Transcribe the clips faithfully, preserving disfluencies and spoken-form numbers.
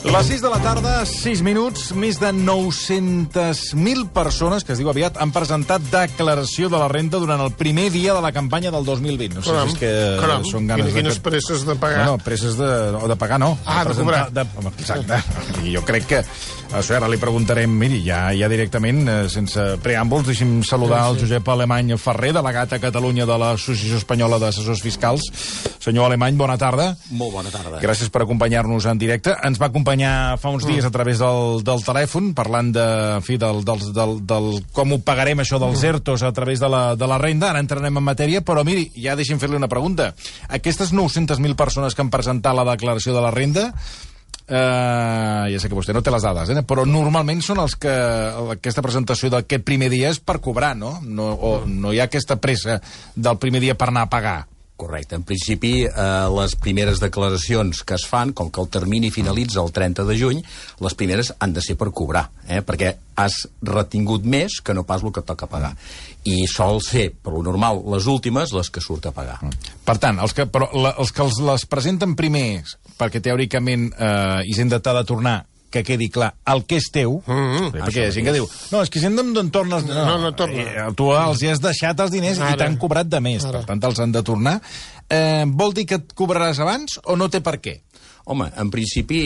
Les sis de la tarda, sis minuts, més de nou-centes mil persones, que es diu aviat, han presentat declaració de la renda durant el primer dia de la campanya del dos mil vint. No sé caram, si és que caram. són ganes Quines de... presses de pagar? No, no, presses de, no, de pagar no. Ah, de cobrar. De... Exacte. I jo crec que... Això ara li preguntarem, miri, ja, ja directament, eh, sense preàmbuls, deixi'm saludar el Josep Alemany Ferrer, delegat a Catalunya de l'Associació Espanyola d'Assessors Fiscals. Senyor Alemany, bona tarda. Molt bona tarda. Gràcies per acompanyar-nos en directe. Ens va acompanyar fa uns dies a través del, del telèfon, parlant de, en fi, del, del, del, del com ho pagarem, això dels ERTOs a través de la, de la renda. Ara entrarem en matèria, però miri, ja deixi'm fer-li una pregunta. Aquestes nou-centes mil persones que han presentat la declaració de la renda, Uh, ja sé que vostè no té les dades, eh? Però normalment són els que aquesta presentació d'aquest primer dia és per cobrar, no? No, o no hi ha aquesta pressa del primer dia per anar a pagar. Correcte. En principi, eh, les primeres declaracions que es fan, com que el termini finalitza el trenta de juny, les primeres han de ser per cobrar, eh? Perquè has retingut més que no pas el que toca pagar. I sol ser, per lo normal, les últimes les que surt a pagar. Per tant, els que, però, la, els que els les presenten primers, perquè teòricament eh, Hisenda t'ha de tornar, que quedi clar, el que és teu, mm-hmm. perquè hi ha gent que diu, no, és que Hisenda em torna... No, no, no torna. Eh, tu els hi has deixat els diners ara, i t'han cobrat de més, ara. Per tant, els han de tornar. Eh, vol dir que et cobraràs abans o no té per què? Home, en principi,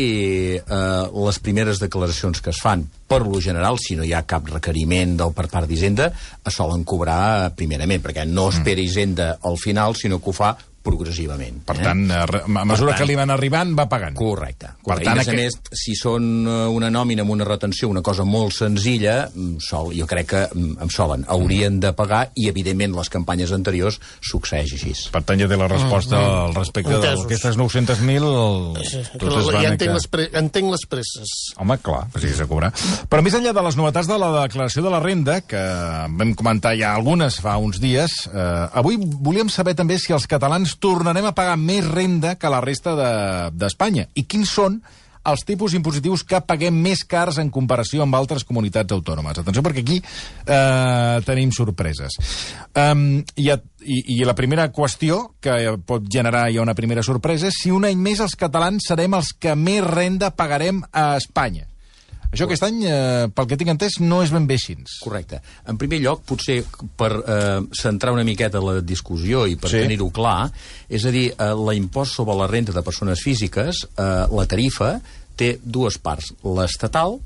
eh, les primeres declaracions que es fan, per lo general, si no hi ha cap requeriment del per part d'Hisenda, es solen cobrar primerament, perquè no espera Hisenda al final, sinó que ho fa progressivament. Per tant, eh? a mesura tant, que li van arribant, va pagant. Correcte. Per I, tant, a més aquest... a més, si són una nòmina amb una retenció, una cosa molt senzilla, sol, jo crec que em solen. Haurien de pagar i, evidentment, les campanyes anteriors succeeix així. Per tant, ja té la resposta mm, mm. al respecte d'aquestes nou-centes mil... Sí, però ja entenc, que... les pre... entenc les presses. Home, clar, si és a cobrar. Però més enllà de les novetats de la declaració de la renda, que vam comentar ja algunes fa uns dies, eh, avui volíem saber també si els catalans tornarem a pagar més renda que la resta d'Espanya. De, I quins són els tipus impositius que paguem més cars en comparació amb altres comunitats autònomes. Atenció, perquè aquí eh, tenim sorpreses. Um, i, i, I la primera qüestió que pot generar ja una primera sorpresa és si un any més els catalans serem els que més renda pagarem a Espanya. Això aquest any, eh, pel que tinc entès, no és ben bé així. Correcte. En primer lloc, potser per eh, centrar una miqueta la discussió i per sí. tenir-ho clar, és a dir, eh, l'impost sobre la renda de persones físiques, eh, la tarifa, té dues parts, l'estatal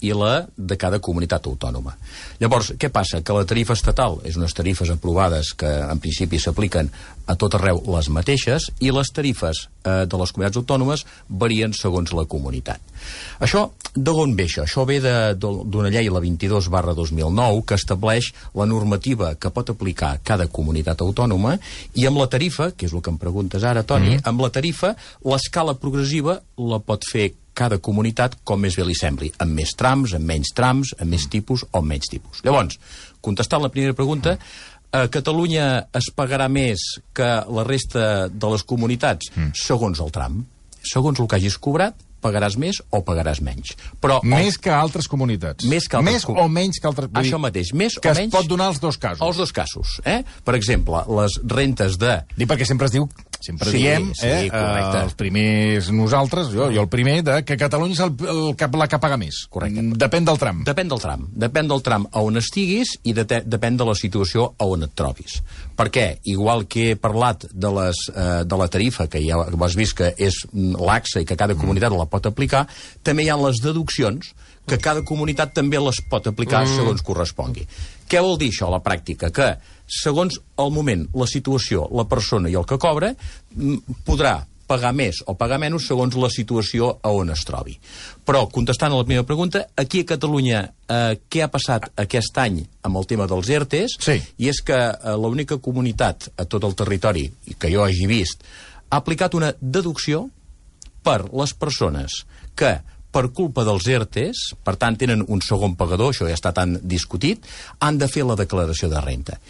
i la de cada comunitat autònoma. Llavors, què passa? Que la tarifa estatal és unes tarifes aprovades que en principi s'apliquen a tot arreu les mateixes i les tarifes eh, de les comunitats autònomes varien segons la comunitat. Això, d'on ve això? Això ve d'una llei, la vint-i-dos barra dos mil nou, que estableix la normativa que pot aplicar cada comunitat autònoma i amb la tarifa, que és el que em preguntes ara, Toni, mm. amb la tarifa, l'escala progressiva la pot fer cada comunitat com més bé li sembli, amb més trams, amb menys trams, amb més tipus o amb menys tipus. Llavors, contestant la primera pregunta, a Catalunya es pagarà més que la resta de les comunitats mm. segons el tram. Segons el que hagis cobrat, pagaràs més o pagaràs menys. Però més el... que altres comunitats. Més, que altres més com... o menys que altres... Això mateix, més que o menys... Que es pot donar els dos casos. Els dos casos, eh? Per exemple, les rentes de... Dic perquè sempre es diu... Sempre sí, diem, sí, eh, correcte. els primers nosaltres, jo, jo el primer, de que Catalunya és el, el, el, la que paga més. Correcte. Depèn del tram. Depèn del tram. Depèn del tram a on estiguis i de, depèn de la situació a on et trobis. Perquè, igual que he parlat de, les, eh, de la tarifa, que ja has vist que és laxa i que cada comunitat la pot aplicar, també hi ha les deduccions que cada comunitat també les pot aplicar mm. segons correspongui. Què vol dir això a la pràctica? Que segons el moment, la situació, la persona i el que cobra, podrà pagar més o pagar menys segons la situació a on es trobi. Però, contestant a la primera pregunta, aquí a Catalunya eh, què ha passat aquest any amb el tema dels ERTEs? Sí. I és que eh, l'única comunitat a tot el territori que jo hagi vist ha aplicat una deducció per les persones que per culpa dels ERTEs, per tant tenen un segon pagador, això ja està tan discutit, han de fer la declaració de renda.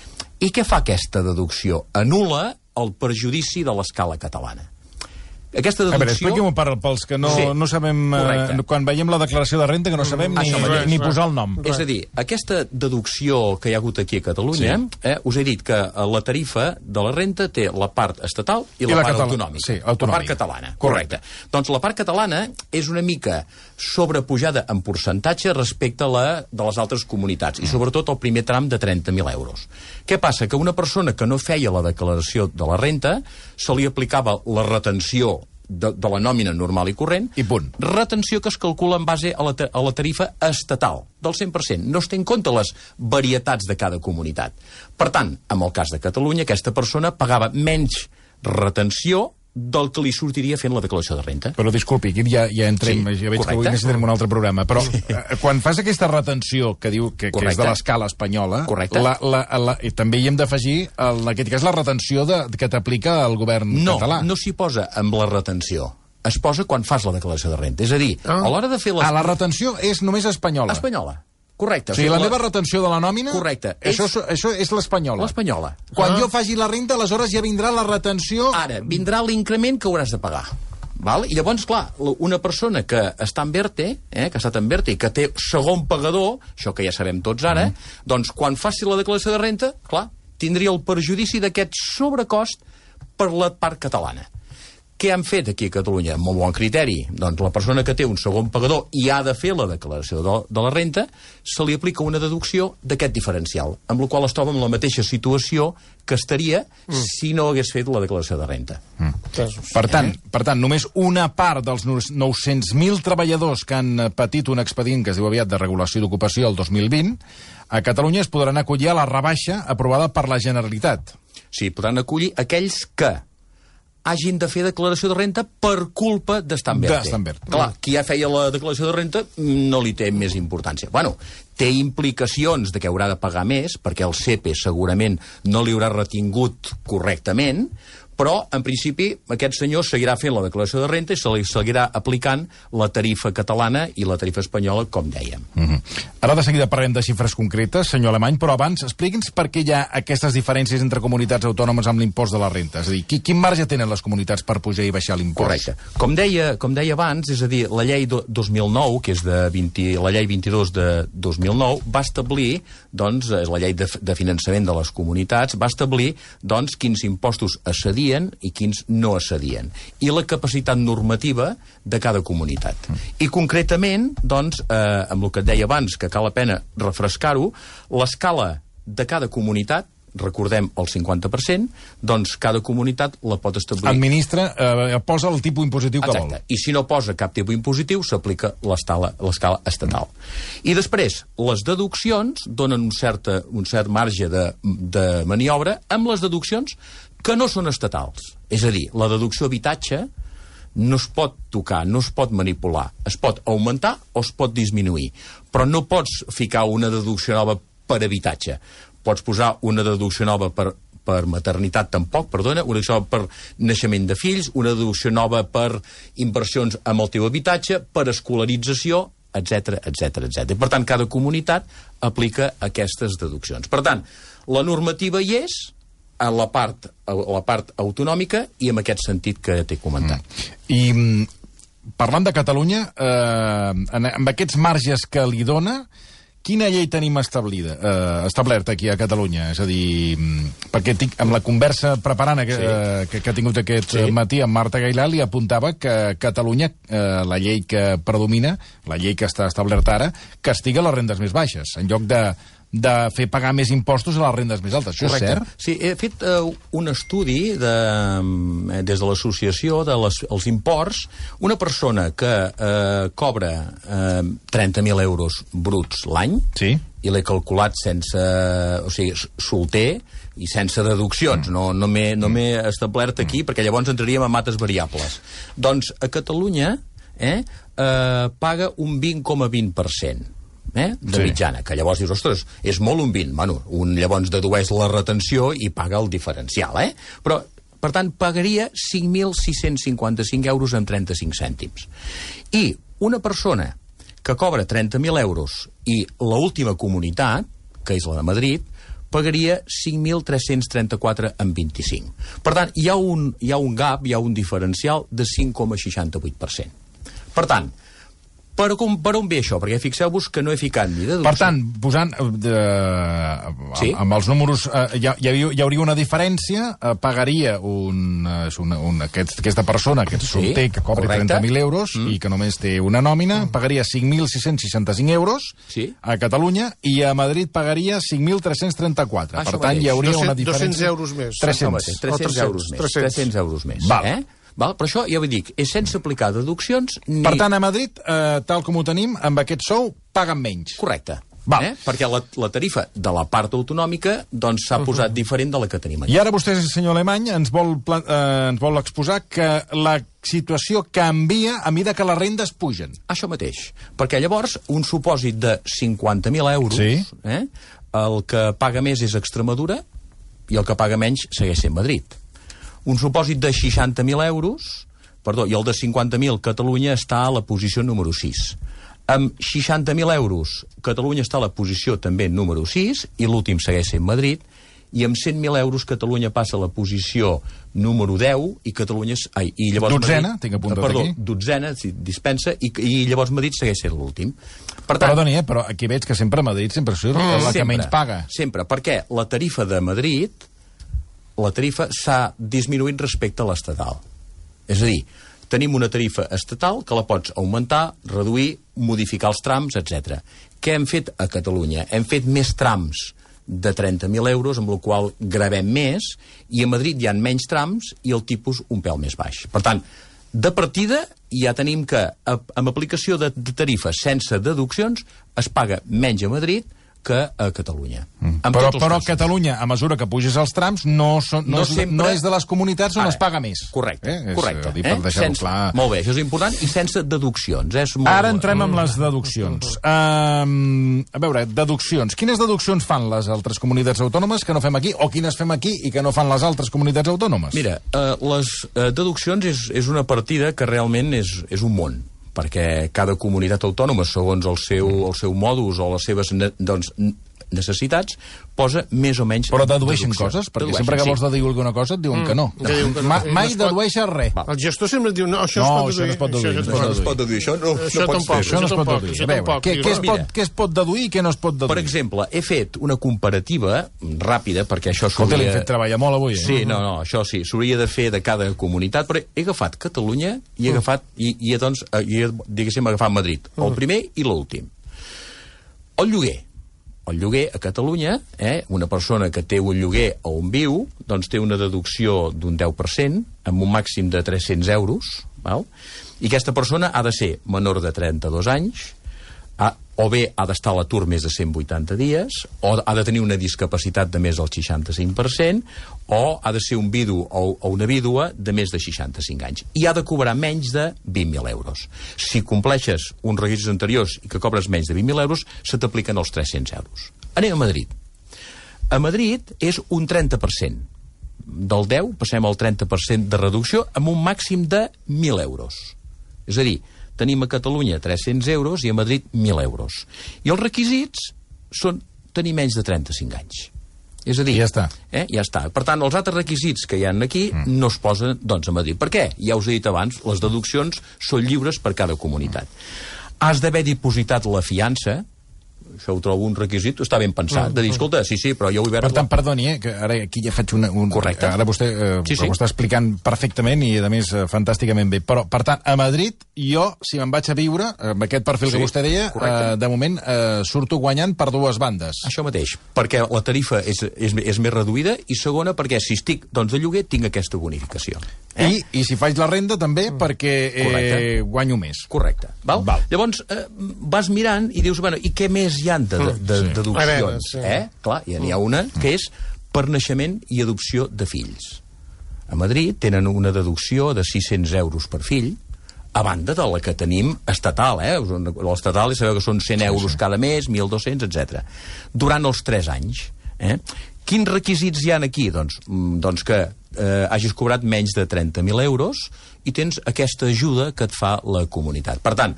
I què fa aquesta deducció? Anul·la el perjudici de l'escala catalana. Aquesta deducció... A veure, expliqui-m'ho per, pels que no, sí, no sabem... Eh, quan veiem la declaració de renta, que no sabem ni, res, ni res. posar el nom. És a dir, aquesta deducció que hi ha hagut aquí a Catalunya, sí. eh, us he dit que la tarifa de la renta té la part estatal i la, I la part catala... autonòmica. Sí, autonòmica. La part catalana, correcte. correcte. Doncs la part catalana és una mica sobrepujada en percentatge respecte a la de les altres comunitats, mm. i sobretot el primer tram de trenta mil euros. Què passa? Que una persona que no feia la declaració de la renta se li aplicava la retenció De, de la nòmina normal i corrent, i punt. Retenció que es calcula en base a la, a la tarifa estatal, del cent per cent. No es té en compte les varietats de cada comunitat. Per tant, en el cas de Catalunya, aquesta persona pagava menys retenció del que li sortiria fent la declaració de renta. Però disculpi, aquí ja, ja entrem, sí, ja veig correcte. Que avui necessitarem un altre programa, però eh, quan fas aquesta retenció que diu que, que és de l'escala espanyola, la, la, la, i també hi hem d'afegir, en aquest cas, la retenció de, que t'aplica el govern no, català. No, no s'hi posa amb la retenció. Es posa quan fas la declaració de renta. És a dir, ah. a l'hora de fer... Les... Ah, la retenció és només espanyola. Espanyola. Correcte. O sigui, la, la meva retenció de la nòmina... Correcte. Això és, això és l'espanyola. L'espanyola. Quan ah. jo faci la renta, aleshores ja vindrà la retenció... Ara, vindrà l'increment que hauràs de pagar. Val? I llavors, clar, una persona que està en verte, eh, que ha estat en verte i que té segon pagador, això que ja sabem tots ara, mm. doncs quan faci la declaració de renta, clar, tindria el perjudici d'aquest sobrecost per la part catalana. Què han fet aquí a Catalunya? Amb molt bon criteri. Doncs la persona que té un segon pagador i ha de fer la declaració de, de la renta, se li aplica una deducció d'aquest diferencial, amb la qual es troba en la mateixa situació que estaria mm. si no hagués fet la declaració de renta. Mm. Per tant, eh? per tant, només una part dels nou-cents mil treballadors que han patit un expedient que es diu aviat de regulació d'ocupació el dos mil vint, a Catalunya es podran acollir a la rebaixa aprovada per la Generalitat. Sí, podran acollir aquells que hagin de fer declaració de renta per culpa d'estar en verte. verte. Clar, qui ja feia la declaració de renta no li té més importància. Bueno, té implicacions de que haurà de pagar més, perquè el C E P E segurament no li haurà retingut correctament, però, en principi, aquest senyor seguirà fent la declaració de renta i se li seguirà aplicant la tarifa catalana i la tarifa espanyola, com dèiem. Mm-hmm. Ara de seguida parlem de xifres concretes, senyor Alemany, però abans expliqui'ns per què hi ha aquestes diferències entre comunitats autònomes amb l'impost de la renta. És a dir, quin marge tenen les comunitats per pujar i baixar l'impost? Correcte. Com deia, com deia abans, és a dir, la llei do, dos mil nou, que és de vint, la llei vint-i-dos de dos mil nou, va establir, doncs, és la llei de, de finançament de les comunitats, va establir, doncs, quins impostos es cedien i quins no es cedien, i la capacitat normativa de cada comunitat. Mm. I concretament, doncs, eh, amb el que et deia abans, que cal la pena refrescar-ho, l'escala de cada comunitat, recordem el cinquanta per cent, doncs cada comunitat la pot establir. Administra, eh, posa el tipus impositiu que Exacte. vol. I si no posa cap tipus impositiu, s'aplica l'escala estatal. I després, les deduccions donen un, certa, un cert marge de, de maniobra amb les deduccions que no són estatals. És a dir, la deducció habitatge no es pot tocar, no es pot manipular. Es pot augmentar o es pot disminuir. Però no pots ficar una deducció nova per habitatge. Pots posar una deducció nova per, per maternitat, tampoc, perdona, una deducció nova per naixement de fills, una deducció nova per inversions amb el teu habitatge, per escolarització, etcètera, etcètera, etcètera. Per tant, cada comunitat aplica aquestes deduccions. Per tant, la normativa hi és, a la part, a la part autonòmica i en aquest sentit que t'he comentat. Mm. I parlant de Catalunya, eh, amb aquests marges que li dona, quina llei tenim establida, eh, establerta aquí a Catalunya? És a dir, perquè tinc, amb la conversa preparant que, sí. eh, que, que ha tingut aquest sí. matí amb Marta Gailà, li apuntava que Catalunya, eh, la llei que predomina, la llei que està establerta ara, castiga les rendes més baixes, en lloc de de fer pagar més impostos a les rendes més altes. Això Correcte. És cert? Sí, he fet uh, un estudi de, uh, des de l'associació dels de imports. Una persona que uh, cobra uh, trenta mil euros bruts l'any, sí. i l'he calculat sense... o sigui, solter i sense deduccions. Mm. No, no m'he no establert aquí, mm. perquè llavors entraríem en mates variables. Doncs a Catalunya eh, uh, paga un vint coma vint per cent. Eh, de sí. mitjana, que llavors dius, ostres, és molt un vint, bueno, un llavors dedueix la retenció i paga el diferencial, eh? Però, per tant, pagaria cinc mil sis-cents cinquanta-cinc euros amb trenta-cinc cèntims. I una persona que cobra trenta mil euros i l'última comunitat, que és la de Madrid, pagaria cinc mil tres-cents trenta-quatre coma vint-i-cinc. Per tant, hi ha, un, hi ha un gap, hi ha un diferencial de cinc coma seixanta-vuit per cent. Per tant, per, per on ve això? Perquè fixeu-vos que no he ficat ni deducció. Per tant, posant eh, sí? amb els números, eh, hi, hi, hi hauria una diferència, eh, pagaria un, una, una, aquest, aquesta persona, aquest solter, sí, que cobri trenta mil euros mm. i que només té una nòmina, mm. pagaria cinc mil sis-cents seixanta-cinc euros sí? a Catalunya, i a Madrid pagaria cinc mil tres-cents trenta-quatre. Ah, per tant, hi hauria una diferència... dos cents euros més. tres-cents. tres-cents euros més. tres-cents euros més. Val. Eh? Val? Però això, ja vull dir, és sense aplicar deduccions ni... Per tant, a Madrid, eh, tal com ho tenim, amb aquest sou, paguen menys. Correcte. Val. Eh? Perquè la, la tarifa de la part autonòmica doncs s'ha uh -huh. posat diferent de la que tenim aquí. I ara vostè, senyor Alemany, ens vol, eh, ens vol exposar que la situació canvia a mesura que les rendes pugen. Això mateix. Perquè llavors, un supòsit de cinquanta mil euros, sí. eh? el que paga més és Extremadura i el que paga menys segueix sent Madrid. Un supòsit de seixanta mil euros, perdó, i el de cinquanta mil, Catalunya està a la posició número sis. Amb seixanta mil euros, Catalunya està a la posició també número sis, i l'últim segueix sent Madrid, i amb cent mil euros Catalunya passa a la posició número deu, i Catalunya... Ai, i llavors dotzena, Madrid, tinc apuntat perdó, aquí. Dotzena, si dispensa, i, i llavors Madrid segueix sent l'últim. Per tant, Perdoni, eh, però aquí veig que sempre Madrid sempre surt mm, la que sempre, menys paga. Sempre, perquè la tarifa de Madrid... la tarifa s'ha disminuït respecte a l'estatal. És a dir, tenim una tarifa estatal que la pots augmentar, reduir, modificar els trams, etcètera. Què hem fet a Catalunya? Hem fet més trams de trenta mil euros, amb el qual gravem més, i a Madrid hi ha menys trams i el tipus un pèl més baix. Per tant, de partida ja tenim que, amb aplicació de tarifes sense deduccions, es paga menys a Madrid que a Catalunya. Mm. Però, però a Catalunya, a mesura que puges els trams, no, són, no, no, és, sempre... no és de les comunitats on Ara, es paga més. Correcte, eh? correcte. És, eh? Per sense, clar. Molt bé, això és important, i sense deduccions. És molt... Ara entrem amb les deduccions. Um, a veure, deduccions. Quines deduccions fan les altres comunitats autònomes que no fem aquí, o quines fem aquí i que no fan les altres comunitats autònomes? Mira, uh, les uh, deduccions és, és una partida que realment és, és un món, perquè cada comunitat autònoma, segons el seu, el seu modus o les seves ne, doncs, necessitats, posa més o menys... Però dedueixen coses? Perquè dedueixen, sempre que vols deduir alguna cosa et diuen mm, que no. no. Diuen que no. Ma, mai no dedueixen res. El gestor sempre diu, no, això no, es pot deduir. Això no es pot deduir. Això no es pot deduir. Això no, això no tampoc, això no es pot deduir. Això A veure, què, què, es pot, què es pot deduir i què no es pot deduir? Per exemple, he fet una comparativa ràpida, perquè això s'hauria... Escolta, l'hem fet treballar molt avui. Eh? Sí, no, no, això sí, s'hauria de fer de cada comunitat, però he agafat Catalunya i he agafat, i, i doncs, i he, diguéssim, agafat Madrid, el primer i l'últim. El lloguer. El lloguer a Catalunya, eh, una persona que té un lloguer on viu, doncs té una deducció d'un deu per cent, amb un màxim de tres-cents euros, val? I aquesta persona ha de ser menor de trenta-dos anys, ha, o bé ha d'estar a l'atur més de cent vuitanta dies, o ha de tenir una discapacitat de més del seixanta-cinc per cent, o ha de ser un vidu o, o una vídua de més de seixanta-cinc anys. I ha de cobrar menys de vint mil euros. Si compleixes uns requisits anteriors i que cobres menys de vint mil euros, se t'apliquen els tres-cents euros. Anem a Madrid. A Madrid és un trenta per cent. Del deu passem al trenta per cent de reducció amb un màxim de mil euros. És a dir, tenim a Catalunya tres-cents euros i a Madrid mil euros. I els requisits són tenir menys de trenta-cinc anys. És a dir... Ja està. Eh? Ja està. Per tant, els altres requisits que hi ha aquí mm. no es posen, doncs, a Madrid. Per què? Ja us he dit abans, les deduccions són lliures per cada comunitat. Has d'haver dipositat la fiança, això ho trobo un requisit, està ben pensat, de dir, escolta, sí, sí, però jo vull veure... Per tant, perdoni, eh, que ara aquí ja faig una... Un... Correcte. Ara vostè eh, sí, sí. ho està explicant perfectament i, a més, eh, fantàsticament bé. Però, per tant, a Madrid, jo, si me'n vaig a viure, amb aquest perfil sí, que vostè deia, eh, de moment eh, surto guanyant per dues bandes. Això mateix, perquè la tarifa és, és, és més reduïda, i segona, perquè si estic doncs, de lloguer, tinc aquesta bonificació. Eh? I, I si faig la renda, també, mm. perquè eh, guanyo més. Correcte. Val? Val. Llavors, eh, vas mirant i dius, bueno, i què més hi ha de, de, de sí. deduccions? Veure, sí. eh? Clar, n'hi ha una que és per naixement i adopció de fills. A Madrid tenen una deducció de sis-cents euros per fill, a banda de la que tenim estatal, eh? L'estatal, sabeu que són cent euros cada mes, mil dos-cents, etcètera. Durant els tres anys. Eh? Quins requisits hi ha aquí? Doncs, doncs que eh, hagis cobrat menys de trenta mil euros i tens aquesta ajuda que et fa la comunitat. Per tant,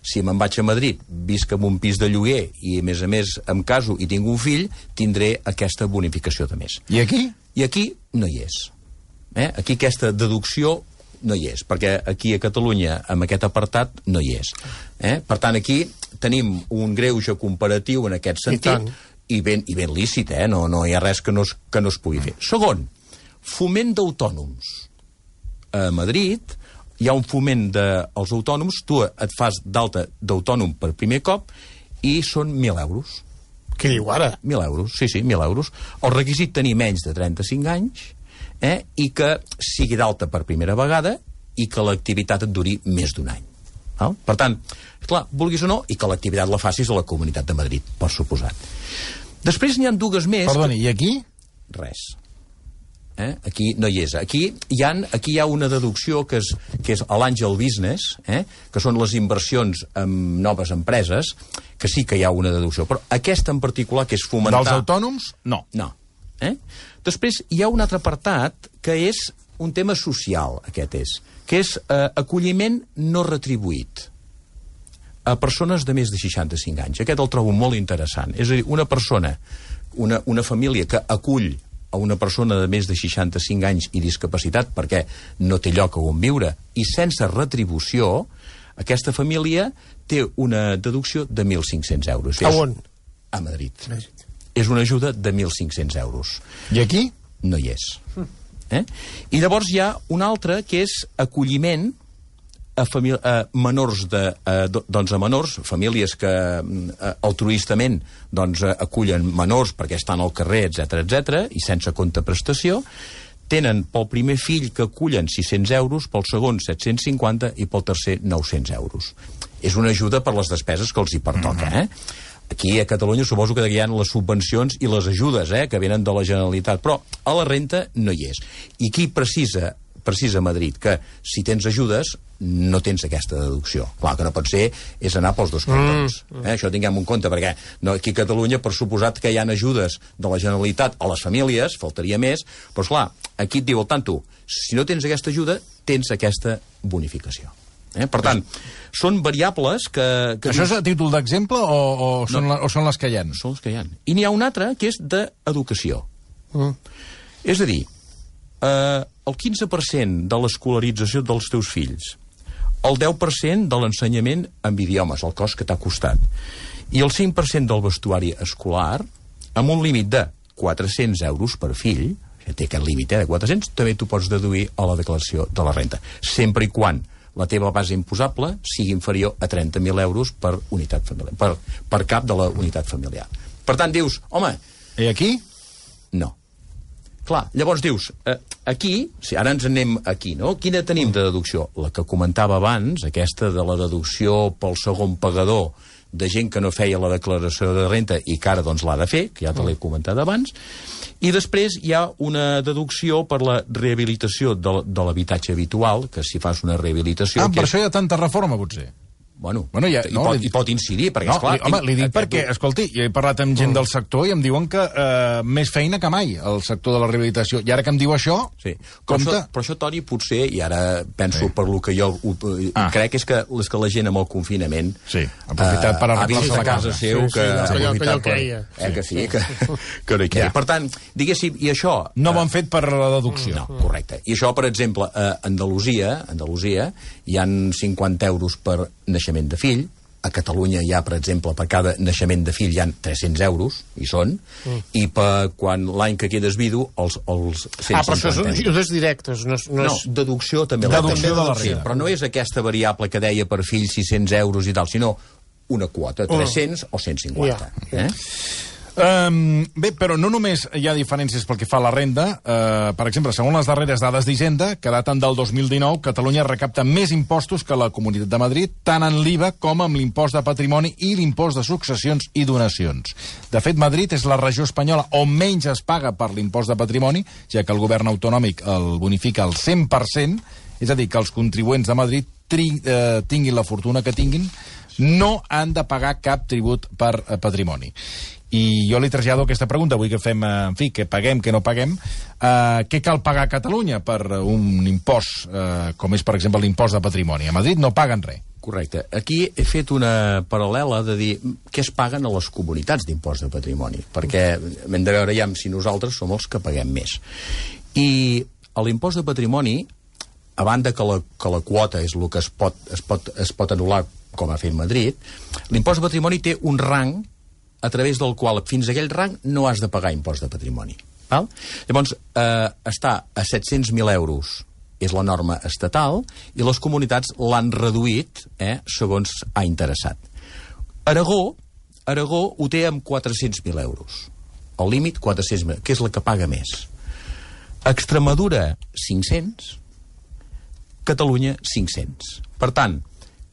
Si me'n vaig a Madrid, visc en un pis de lloguer i, a més a més, em caso i tinc un fill, tindré aquesta bonificació de més. I aquí? I aquí no hi és. Eh? Aquí aquesta deducció no hi és, perquè aquí a Catalunya, amb aquest apartat, no hi és. Eh? Per tant, aquí tenim un greuge comparatiu en aquest sentit, i, i, ben, i ben lícit, eh? no, no hi ha res que no es, que no es pugui fer. Segon, foment d'autònoms. A Madrid hi ha un foment dels autònoms, tu et fas d'alta d'autònom per primer cop i són mil euros. Què diu ara? Mil euros, sí, sí, mil euros. El requisit tenir menys de trenta-cinc anys, eh, i que sigui d'alta per primera vegada i que l'activitat et duri més d'un any. Val? Per tant, clar, vulguis o no, i que l'activitat la facis a la Comunitat de Madrid, per suposat. Després n'hi ha dues més... Perdoni, que... i aquí? Res. Eh? Aquí no hi és. Aquí hi ha, aquí hi ha una deducció que és, que és l'Àngel Business, eh? que són les inversions en noves empreses, que sí que hi ha una deducció. Però aquesta en particular, que és fomentar... Dels autònoms, no. No. Eh? Després hi ha un altre apartat que és un tema social, aquest és, que és eh, acolliment no retribuït a persones de més de seixanta-cinc anys. Aquest el trobo molt interessant. És a dir, una persona, una, una família que acull a una persona de més de seixanta-cinc anys i discapacitat perquè no té lloc on viure i sense retribució, aquesta família té una deducció de mil cinc-cents euros. A on? A Madrid. Madrid. És una ajuda de mil cinc-cents euros. I aquí? No hi és. Eh? I llavors hi ha una altra que és acolliment a, a menors de, a, doncs a menors, famílies que a, altruistament doncs, a, acullen menors perquè estan al carrer, etcètera, etcètera, i sense contraprestació, tenen pel primer fill que acullen sis-cents euros, pel segon set-cents cinquanta i pel tercer nou-cents euros. És una ajuda per les despeses que els hi pertoca, eh? Aquí a Catalunya suposo que hi ha les subvencions i les ajudes eh, que venen de la Generalitat, però a la renta no hi és. I qui precisa precisa Madrid, que si tens ajudes no tens aquesta deducció. Clar, que no pot ser és anar pels dos cantons. Mm. Eh? Això tinguem en compte, perquè no, aquí a Catalunya, per suposat que hi ha ajudes de la Generalitat a les famílies, faltaria més, però esclar, aquí et diu el tanto, si no tens aquesta ajuda, tens aquesta bonificació. Eh? Per tant, són variables que... que Això és a títol d'exemple o, o, són no. la, o són les que hi ha? Són les que hi ha. I n'hi ha una altra que és d'educació. Mm. És a dir, eh, el quinze per cent de l'escolarització dels teus fills, el deu per cent de l'ensenyament en idiomes, el cost que t'ha costat, i el cinc per cent del vestuari escolar, amb un límit de quatre-cents euros per fill, que té aquest límit eh, de quatre-cents, també t'ho pots deduir a la declaració de la renta, sempre i quan la teva base imposable sigui inferior a trenta mil euros per unitat familiar, per, per cap de la unitat familiar. Per tant, dius, home... I aquí? No. Clar, llavors dius, eh, aquí, si ara ens anem aquí, no? Quina tenim de deducció? La que comentava abans, aquesta de la deducció pel segon pagador de gent que no feia la declaració de renta i que ara doncs l'ha de fer, que ja te l'he comentat abans, i després hi ha una deducció per la rehabilitació de, de l'habitatge habitual, que si fas una rehabilitació... Ah, per és... això hi ha tanta reforma, potser. Bueno, bueno ja, hi, no, pot, li... hi pot incidir, perquè, no, esclar... Li, home, li dic aquest... perquè, escolti, jo he parlat amb gent del sector i em diuen que eh, més feina que mai, el sector de la rehabilitació. I ara que em diu això, sí. Però, això però això, Toni, potser, i ara penso sí. per lo que jo ho, ah. crec, és que, és que la gent amb el confinament sí, ha aprofitat per arreglar-se la casa seu, sí, que sí, ha aprofitat per... Eh, que sí, que, que no hi queia. Ja. Per tant, diguéssim, i això... No ho han fet per la deducció. No, correcte. I això, per exemple, a Andalusia, Andalusia hi han cinquanta euros per naixement de fill. A Catalunya hi ha, per exemple, per cada naixement de fill hi ha tres-cents euros, hi són, mm. i per quan l'any que quedes vidu, els, els cent cinquanta. Ah, però això són ajudes directes, no és... No, no és... deducció també. Deducció de la sí, renda. però no és aquesta variable que deia per fill sis-cents euros i tal, sinó una quota, tres-cents oh. o cent cinquanta. Yeah. Eh? Um, bé, però no només hi ha diferències pel que fa a la renda. Uh, per exemple, segons les darreres dades d'Hisenda, que daten del dos mil dinou, Catalunya recapta més impostos que la Comunitat de Madrid, tant en l'I V A com amb l'impost de patrimoni i l'impost de successions i donacions. De fet, Madrid és la regió espanyola on menys es paga per l'impost de patrimoni, ja que el govern autonòmic el bonifica al cent per cent, és a dir, que els contribuents de Madrid tri, eh, tinguin la fortuna que tinguin, no han de pagar cap tribut per eh, patrimoni. I jo li trasllado aquesta pregunta, vull que fem, en fi, que paguem, que no paguem. Uh, què cal pagar a Catalunya per un impost, uh, com és, per exemple, l'impost de patrimoni? A Madrid no paguen res. Correcte. Aquí he fet una paral·lela de dir què es paguen a les comunitats d'impost de patrimoni, perquè hem de veure ja si nosaltres som els que paguem més. I l'impost de patrimoni, a banda que la, que la quota és el que es pot, es, pot, es pot anul·lar com ha fet Madrid, l'impost de patrimoni té un rang a través del qual fins a aquell rang no has de pagar impost de patrimoni. Val? Llavors, eh, està a set-cents mil euros és la norma estatal, i les comunitats l'han reduït eh, segons ha interessat. Aragó, Aragó ho té amb quatre-cents mil euros. El límit, quatre-cents mil, que és la que paga més. Extremadura, cinc-cents. Catalunya, cinc-cents. Per tant,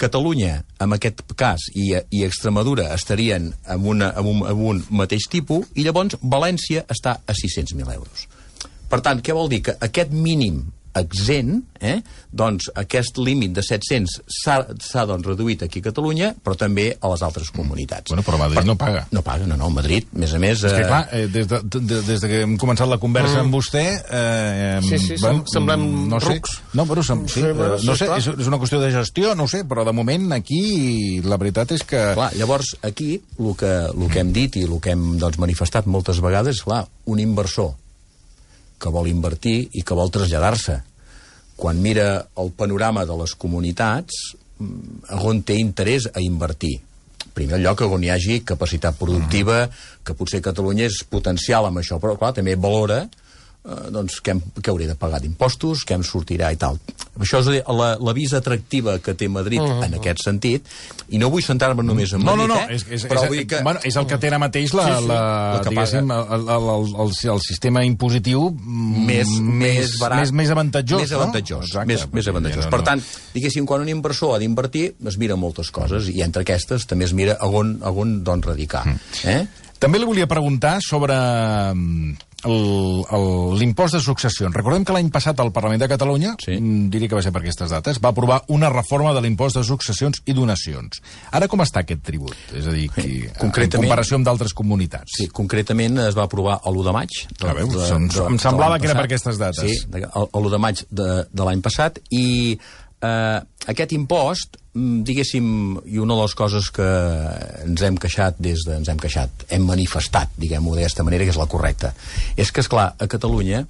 Catalunya, en aquest cas, i, i Extremadura estarien en, una, en, un, en un mateix tipus, i llavors València està a sis-cents mil euros. Per tant, què vol dir? Que aquest mínim exempt, eh? doncs aquest límit de set-cents s'ha doncs, reduït aquí a Catalunya, però també a les altres comunitats. Bueno, però Madrid per... no paga. No paga, no, no, Madrid, a més a més... És que, clar, eh, des, de, de, des de que hem començat la conversa mm. amb vostè... Eh, sí, sí, bueno, semblem no sé, rucs. No, però sem sí, sí, eh, no sé, és, és una qüestió de gestió, no ho sé, però de moment aquí la veritat és que... Clar, llavors, aquí, el que, el que hem dit i el que hem doncs, manifestat moltes vegades, clar, un inversor que vol invertir i que vol traslladar-se. Quan mira el panorama de les comunitats, on té interès a invertir? En primer lloc, on hi hagi capacitat productiva, que potser Catalunya és potencial amb això, però clar, també valora eh, doncs, què, què hauria de pagar d'impostos, què em sortirà i tal. Això és l'avís atractiva que té Madrid uh -huh. en aquest sentit, i no vull centrar-me només en Madrid, no, no, no. eh? És, és, però és, vull que... bueno, és el que té ara mateix la, sí, sí, la, la diguéssim, el, el, el, el sistema impositiu més, més barat, més, més avantatjós. Més avantatjós, no? Exacte, més, més avantatjós. No, no. Per tant, diguéssim, quan un inversor ha d'invertir, es mira moltes coses, i entre aquestes també es mira a on, a on doncs, radicar. Mm. Eh? També li volia preguntar sobre l'impost de successions. Recordem que l'any passat el Parlament de Catalunya, sí. diria que va ser per aquestes dates, va aprovar una reforma de l'impost de successions i donacions. Ara com està aquest tribut? És a dir, qui, en comparació amb d'altres comunitats. Sí, concretament es va aprovar l'u de maig. De, ah, veus, de, de, de, em semblava que era per aquestes dates. Sí, l'u de maig de, de l'any passat, i eh, aquest impost, diguéssim, i una de les coses que ens hem queixat des de... ens hem queixat, hem manifestat, diguem-ho d'aquesta manera, que és la correcta, és que, esclar, a Catalunya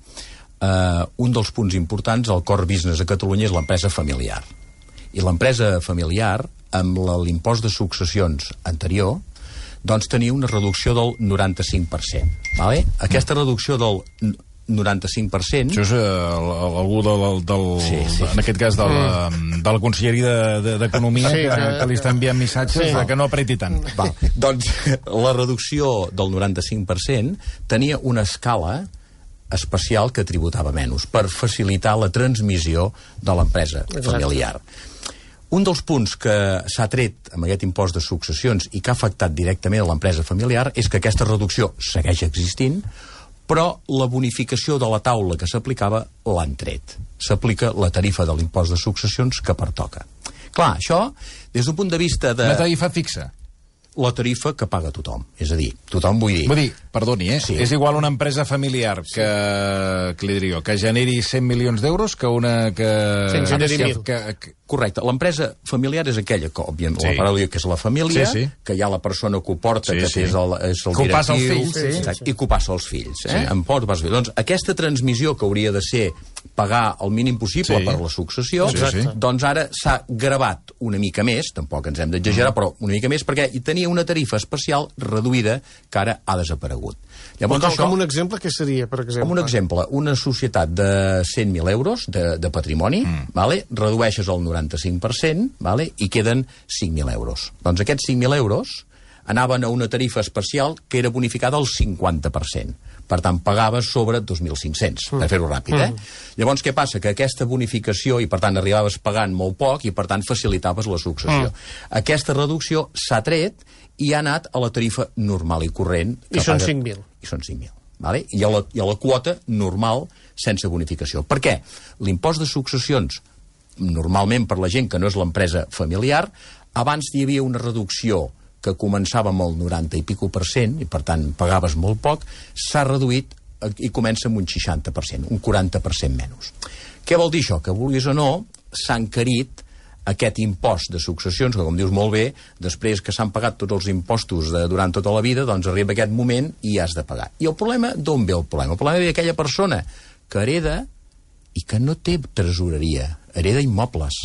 eh, un dels punts importants, el core business a Catalunya, és l'empresa familiar. I l'empresa familiar, amb l'impost de successions anterior, doncs tenia una reducció del noranta-cinc per cent. Vale? Aquesta reducció del noranta-cinc per cent... Això és uh, algú del, del, sí, sí. en aquest cas de la, de la Conselleria d'Economia de, de, sí, que, que li està enviant missatges sí. que no apreti tant. Va, doncs la reducció del noranta-cinc per cent tenia una escala especial que tributava menys per facilitar la transmissió de l'empresa familiar. Un dels punts que s'ha tret amb aquest impost de successions i que ha afectat directament a l'empresa familiar és que aquesta reducció segueix existint, però la bonificació de la taula que s'aplicava l'han tret. S'aplica la tarifa de l'impost de successions que pertoca. Clar, això, des d'un punt de vista de... Una tarifa fixa? La tarifa que paga tothom. És a dir, tothom vull dir... Vull dir, perdoni, eh? Sí. És igual una empresa familiar que, que li diria, que generi cent milions d'euros que una que... cent generi mil. Que, que... Correcte. L'empresa familiar és aquella que, òbviament, sí. la paraula que és la família, sí, sí. que hi ha la persona que ho porta, sí, que sí. és el, és el que directiu... ho passa als fills. Sí, sí, sí. I que ho passa als fills. Eh? Sí. En pot, vas bé. Doncs aquesta transmissió que hauria de ser pagar el mínim possible sí. per la successió, sí, sí. doncs ara s'ha gravat una mica més, tampoc ens hem d'exagerar, mm. però una mica més, perquè hi tenia una tarifa especial reduïda que ara ha desaparegut. Llavors, com, això, com un exemple, què seria, per exemple? Com un exemple, una societat de cent mil euros de, de patrimoni, mm. vale? redueixes el noranta-cinc per cent, vale? i queden cinc mil euros. Doncs aquests cinc mil euros anaven a una tarifa especial que era bonificada al cinquanta per cent. Per tant, pagaves sobre dos mil cinc-cents, mm. per fer-ho ràpid, eh? Mm. Llavors, què passa? Que aquesta bonificació, i per tant arribaves pagant molt poc, i per tant facilitaves la successió. Mm. Aquesta reducció s'ha tret i ha anat a la tarifa normal i corrent. I són cinc mil. I són cinc mil. Vale? I, a la, I a la quota normal sense bonificació. Per què? L'impost de successions, normalment per la gent que no és l'empresa familiar, abans hi havia una reducció que començava amb el noranta i pico per cent, i per tant pagaves molt poc, s'ha reduït i comença amb un seixanta per cent, un quaranta per cent menys. Què vol dir això? Que vulguis o no, s'ha encarit aquest impost de successions, que com dius molt bé, després que s'han pagat tots els impostos de, durant tota la vida, doncs arriba aquest moment i has de pagar. I el problema, d'on ve el problema? El problema ve d'aquella persona que hereda i que no té tresoreria, hereda immobles,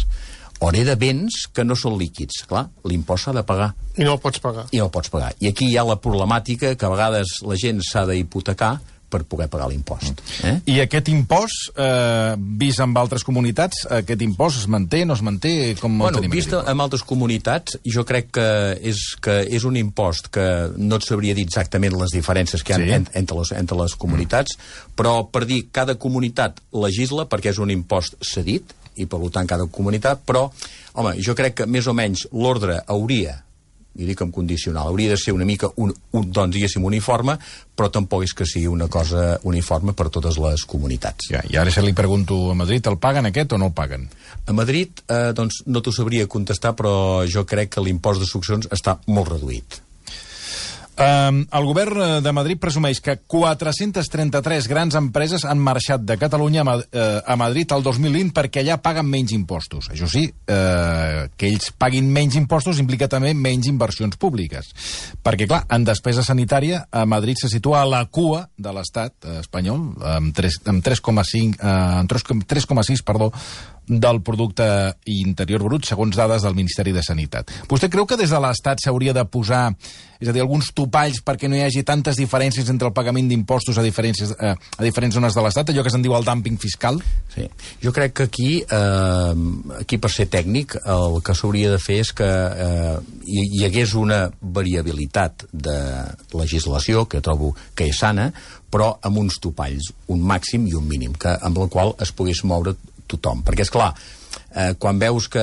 o hereda béns que no són líquids. Clar, l'impost s'ha de pagar. I no el pots pagar. I no el pots pagar. I aquí hi ha la problemàtica que a vegades la gent s'ha d'hipotecar per poder pagar l'impost. Eh? I aquest impost, eh, vist en altres comunitats, aquest impost es manté, no es manté? Com bueno, vist en altres comunitats, jo crec que és, que és un impost que no et sabria dir exactament les diferències que hi ha sí. en, entre, les, entre les comunitats, mm. però per dir, cada comunitat legisla perquè és un impost cedit, i per tant cada comunitat, però, home, jo crec que més o menys l'ordre hauria, i dic en condicional, hauria de ser una mica un, un, doncs, diguéssim, uniforme, però tampoc és que sigui una cosa uniforme per totes les comunitats. Ja, i ara se li pregunto, a Madrid el paguen aquest o no el paguen? A Madrid, eh, doncs, no t'ho sabria contestar, però jo crec que l'impost de successions està molt reduït. Uh, el govern de Madrid presumeix que quatre-centes trenta-tres grans empreses han marxat de Catalunya a, uh, a Madrid el dos mil vint perquè allà paguen menys impostos. Això sí, uh, que ells paguin menys impostos implica també menys inversions públiques. Perquè, clar, en despesa sanitària a Madrid se situa a la cua de l'estat espanyol, amb tres coma sis, perdó, del producte interior brut, segons dades del Ministeri de Sanitat. Vostè creu que des de l'Estat s'hauria de posar, és a dir, alguns topalls perquè no hi hagi tantes diferències entre el pagament d'impostos a, a, a diferents zones de l'Estat, allò que se'n diu el dumping fiscal? Sí. Jo crec que aquí, eh, aquí per ser tècnic, el que s'hauria de fer és que eh, hi, hi hagués una variabilitat de legislació, que trobo que és sana, però amb uns topalls, un màxim i un mínim, que, amb el qual es pogués moure tothom. Perquè, és clar, eh, quan veus que,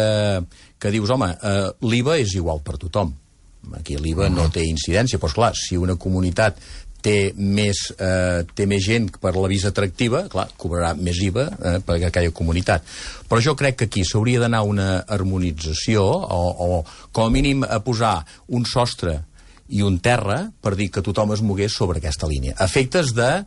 que dius, home, eh, l'I V A és igual per tothom. Aquí l'I V A no té incidència, però, esclar, si una comunitat té més, eh, té més gent per la visa atractiva, clar, cobrarà més I V A eh, per aquella comunitat. Però jo crec que aquí s'hauria d'anar una harmonització o, o, com a mínim, a posar un sostre i un terra per dir que tothom es mogués sobre aquesta línia. A efectes de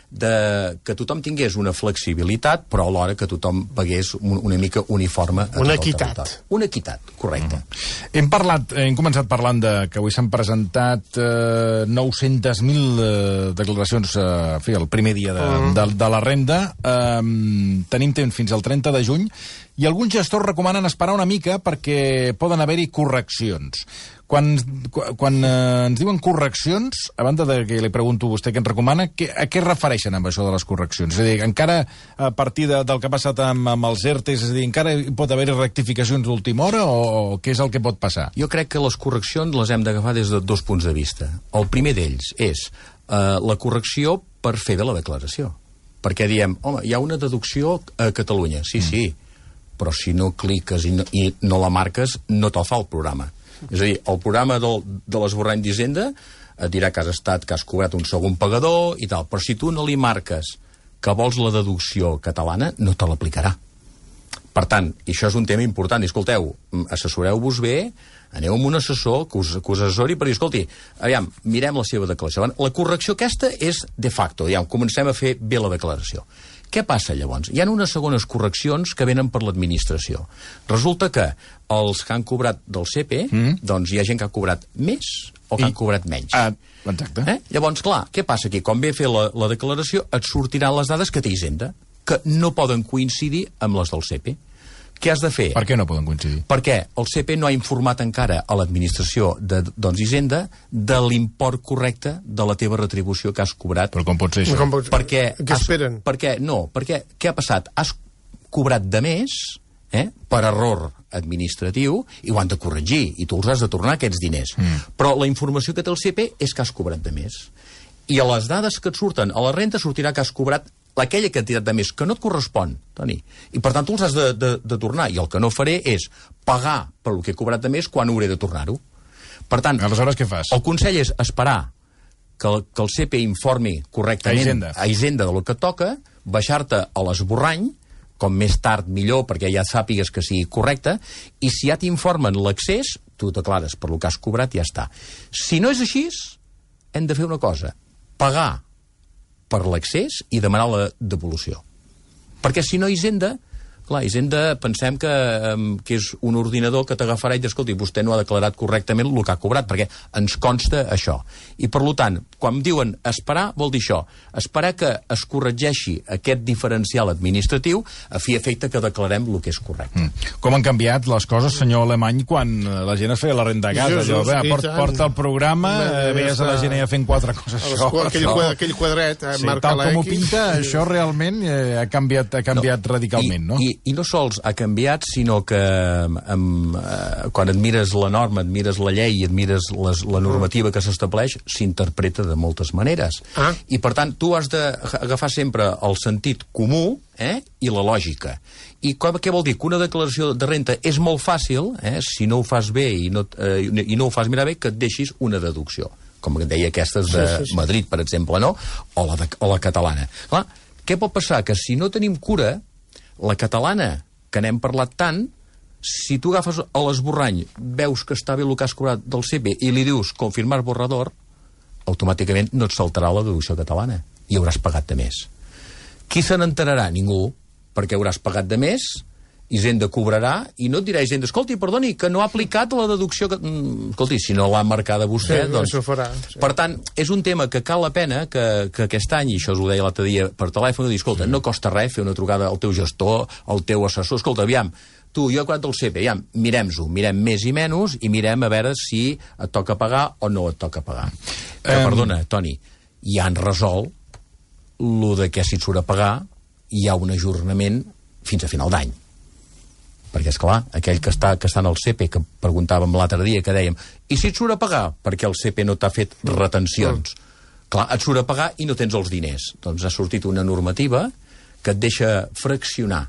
de que tothom tingués una flexibilitat, però alhora que tothom pagués un, una mica uniforme a una equitat. Una equitat, correcte. Mm. Hem parlat, hem començat parlant de que avui s'han presentat eh, nou-centes mil eh, declaracions eh, en fi, el primer dia de, mm. de, de la renda. Eh, tenim temps fins al trenta de juny i alguns gestors recomanen esperar una mica perquè poden haver-hi correccions. Quan, quan eh, ens diuen correccions, a banda de que li pregunto a vostè què ens recomana, que, a què es refereixen amb això de les correccions? És a dir, encara a partir de, del que ha passat amb, amb els ERTEs, és a dir, encara hi pot haver rectificacions d'última hora o, o què és el que pot passar? Jo crec que les correccions les hem d'agafar des de dos punts de vista. El primer d'ells és eh, la correcció per fer bé la declaració. Perquè diem, home, hi ha una deducció a Catalunya. Sí, mm. sí, però si no cliques i no, i no la marques, no te'l fa el programa. És a dir, el programa del, de l'esborrany d'Hisenda et dirà que has estat, que has cobrat un segon pagador i tal, però si tu no li marques que vols la deducció catalana, no te l'aplicarà. Per tant, i això és un tema important, i escolteu, assessoreu-vos bé, aneu amb un assessor que us, que us assessori per dir, escolti, aviam, mirem la seva declaració. La correcció aquesta és de facto, aviam, comencem a fer bé la declaració. Què passa llavors? Hi ha unes segones correccions que venen per l'administració. Resulta que els que han cobrat del C P, mm. doncs hi ha gent que ha cobrat més o que I... han cobrat menys. Ah, exacte. Eh? Llavors, clar, què passa aquí? Quan ve a fer la, la declaració, et sortiran les dades que té Hisenda, que no poden coincidir amb les del C P. Què has de fer? Per què no poden coincidir? Perquè el C P no ha informat encara a l'administració de doncs, Hisenda de l'import correcte de la teva retribució que has cobrat. Però com pot ser això? Com pot... Perquè què has... esperen? Perquè, no, perquè què ha passat? Has cobrat de més eh, per error administratiu i ho han de corregir i tu els has de tornar aquests diners. Mm. Però la informació que té el C P és que has cobrat de més. I a les dades que et surten a la renta sortirà que has cobrat aquella quantitat de més que no et correspon, Toni. I per tant tu els has de, de, de tornar. I el que no faré és pagar per el que he cobrat de més quan hauré de tornar-ho. Per tant, aleshores què fas? El consell és esperar que el, que el C P informi correctament a Hisenda, a Hisenda del que toca, baixar-te a l'esborrany, com més tard millor perquè ja sàpigues que sigui correcte, i si ja t'informen l'accés, tu declares per el que has cobrat i ja està. Si no és així, hem de fer una cosa, pagar per l'accés i demanar la devolució. Perquè si no, Hisenda Clar, Hisenda, pensem que, que és un ordinador que t'agafarà i dir, escolti, vostè no ha declarat correctament el que ha cobrat, perquè ens consta això. I, per tant, quan diuen esperar, vol dir això, esperar que es corregeixi aquest diferencial administratiu a fi efecte que declarem el que és correcte. Mm. Com han canviat les coses, senyor Alemany, quan la gent es feia la renda a casa? Jesús, allò, bé, porta, porta el programa, eh, veies a la gent ja fent quatre coses. Això, aquell, això. aquell quadret, eh, sí, marca tal la com ho X. pinta, això realment eh, ha canviat, ha canviat no. radicalment, no? I, I no sols ha canviat, sinó que amb, eh, quan et mires la norma, et mires la llei i et mires les, la normativa que s'estableix, s'interpreta de moltes maneres. Ah. I, per tant, tu has d'agafar sempre el sentit comú eh, i la lògica. I què vol dir? Que una declaració de renta és molt fàcil, eh, si no ho fas bé i no, eh, i no ho fas mirar bé, que et deixis una deducció. Com que deia aquestes de sí, sí, sí. Madrid, per exemple, no? O la, de, o la catalana. Clar, què pot passar? Que si no tenim cura, la catalana, que n'hem parlat tant, si tu agafes a l'esborrany, veus que està bé el que has cobrat del C P i li dius confirmar borrador, automàticament no et saltarà la deducció catalana i hauràs pagat de més. Qui se n'enterarà? Ningú, perquè hauràs pagat de més, Hisenda cobrarà i no et dirà Hisenda, escolti, perdoni, que no ha aplicat la deducció que... Mm, escolti, si no l'ha marcada vostè, sí, doncs... Això farà, sí. Per tant, és un tema que cal la pena que, que aquest any, i això us ho deia l'altre dia per telèfon, dir, escolta, sí. no costa res fer una trucada al teu gestor, al teu assessor, escolta, aviam, tu, jo he cobrat el C P, aviam, mirem-ho, mirem més i menys i mirem a veure si et toca pagar o no et toca pagar. Que, um... perdona, Toni, ja han resolt lo de que si et surt a pagar hi ha un ajornament fins a final d'any. Perquè, és clar, aquell que està, que està en el C P, que preguntàvem l'altre dia, que dèiem, i si et surt a pagar? Perquè el C P no t'ha fet retencions. Mm. Clar, et surt a pagar i no tens els diners. Doncs ha sortit una normativa que et deixa fraccionar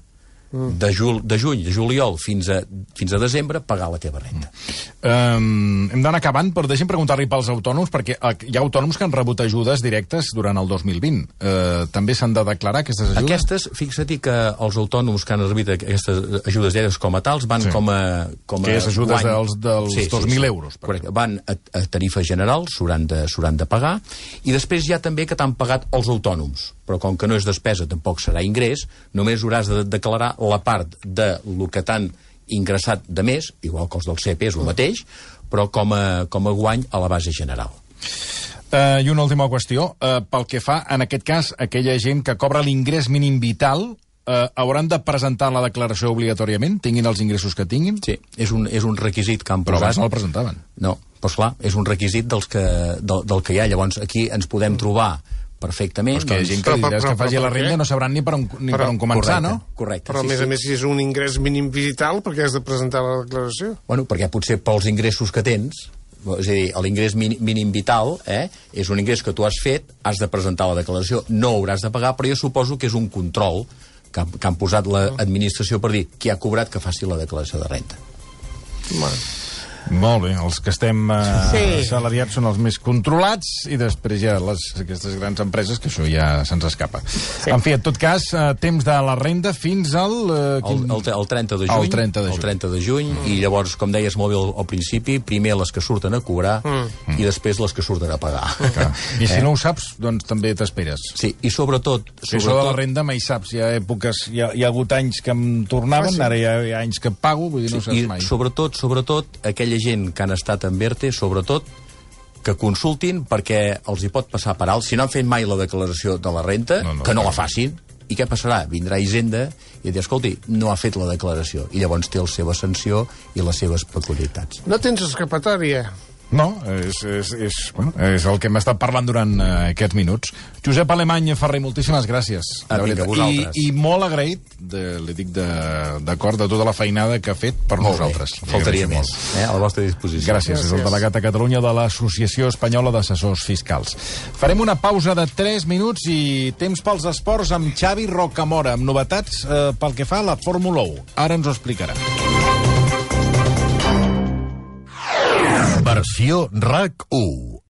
mm. de, jul, de juny, de juliol, fins a, fins a desembre, pagar la teva renta. Mm. Um, hem d'anar acabant, però deixem preguntar-li pels autònoms, perquè hi ha autònoms que han rebut ajudes directes durant el dos mil vint. Uh, també s'han de declarar aquestes ajudes? Aquestes, fixa't que els autònoms que han rebut aquestes ajudes directes com a tals van sí. com a... Com que és ajudes guany. dels, dels sí, dos mil sí, sí. euros. Correcte. Van a, a tarifa general, s'hauran de, de pagar, i després hi ha també que t'han pagat els autònoms. Però com que no és despesa, tampoc serà ingrés, només hauràs de declarar la part de lo que t'han ingressat de més, igual que els del C P és el mateix, però com a, com a guany a la base general. Uh, I una última qüestió. Uh, pel que fa, en aquest cas, aquella gent que cobra l'ingrés mínim vital uh, hauran de presentar la declaració obligatòriament, tinguin els ingressos que tinguin? Sí, és un, és un requisit que han posat. Però abans no el presentaven. No, doncs clar, és un requisit dels que, del, del que hi ha. Llavors, aquí ens podem trobar perfectament. Però és que hi ha gent que li diràs que faci la renda no sabran ni per on, ni però, per on començar, correcte, no? Correcte. Però, a sí, més sí. a més, si és un ingrés mínim vital, perquè has de presentar la declaració? Bueno, perquè potser pels ingressos que tens, és a dir, l'ingrés mínim vital eh, és un ingrés que tu has fet, has de presentar la declaració, no hauràs de pagar, però jo suposo que és un control que, que han posat l'administració per dir qui ha cobrat que faci la declaració de renta. Bueno. Molt bé, els que estem uh, sí. salariats són els més controlats i després hi ha les, aquestes grans empreses que això ja se'ns escapa. Sí. En fi, en tot cas, uh, temps de la renda fins al... Uh, quin... el, el, el trenta de juny. El trenta de juny. El trenta de juny mm. I llavors, com deies molt bé al, al principi, primer les que surten a cobrar mm. i després les que surten a pagar. Okay. I si eh? no ho saps, doncs també t'esperes. Sí, i sobretot... Si sobretot... això de la renda mai saps. Hi ha èpoques, hi ha, hi ha hagut anys que em tornaven, ah, sí. ara hi ha, hi ha anys que pago, vull dir, no sí, saps i mai. Sobretot, sobretot, aquella gent que han estat en ERTE, sobretot, que consultin perquè els hi pot passar per alt. Si no han fet mai la declaració de la renta, no, no, que no la facin. I què passarà? Vindrà Hisenda i et dirà, escolti, no ha fet la declaració. I llavors té la seva sanció i les seves peculiaritats. No tens escapatòria. No, és, és, és, bueno, és el que hem estat parlant durant uh, aquests minuts. Josep Alemany Ferrer, moltíssimes gràcies. Ah, vinga, vosaltres. I, I molt agraït, de, li dic d'acord, de, de tota la feinada que ha fet per molt nosaltres. Bé. Faltaria més, eh, a la vostra disposició. Gràcies, gràcies. És el delegat a Catalunya de l'Associació Espanyola d'Assessors Fiscals. Farem una pausa de tres minuts i temps pels esports amb Xavi Rocamora, amb novetats eh, pel que fa a la Fórmula u. Ara ens ho explicarà. Versió RAC u.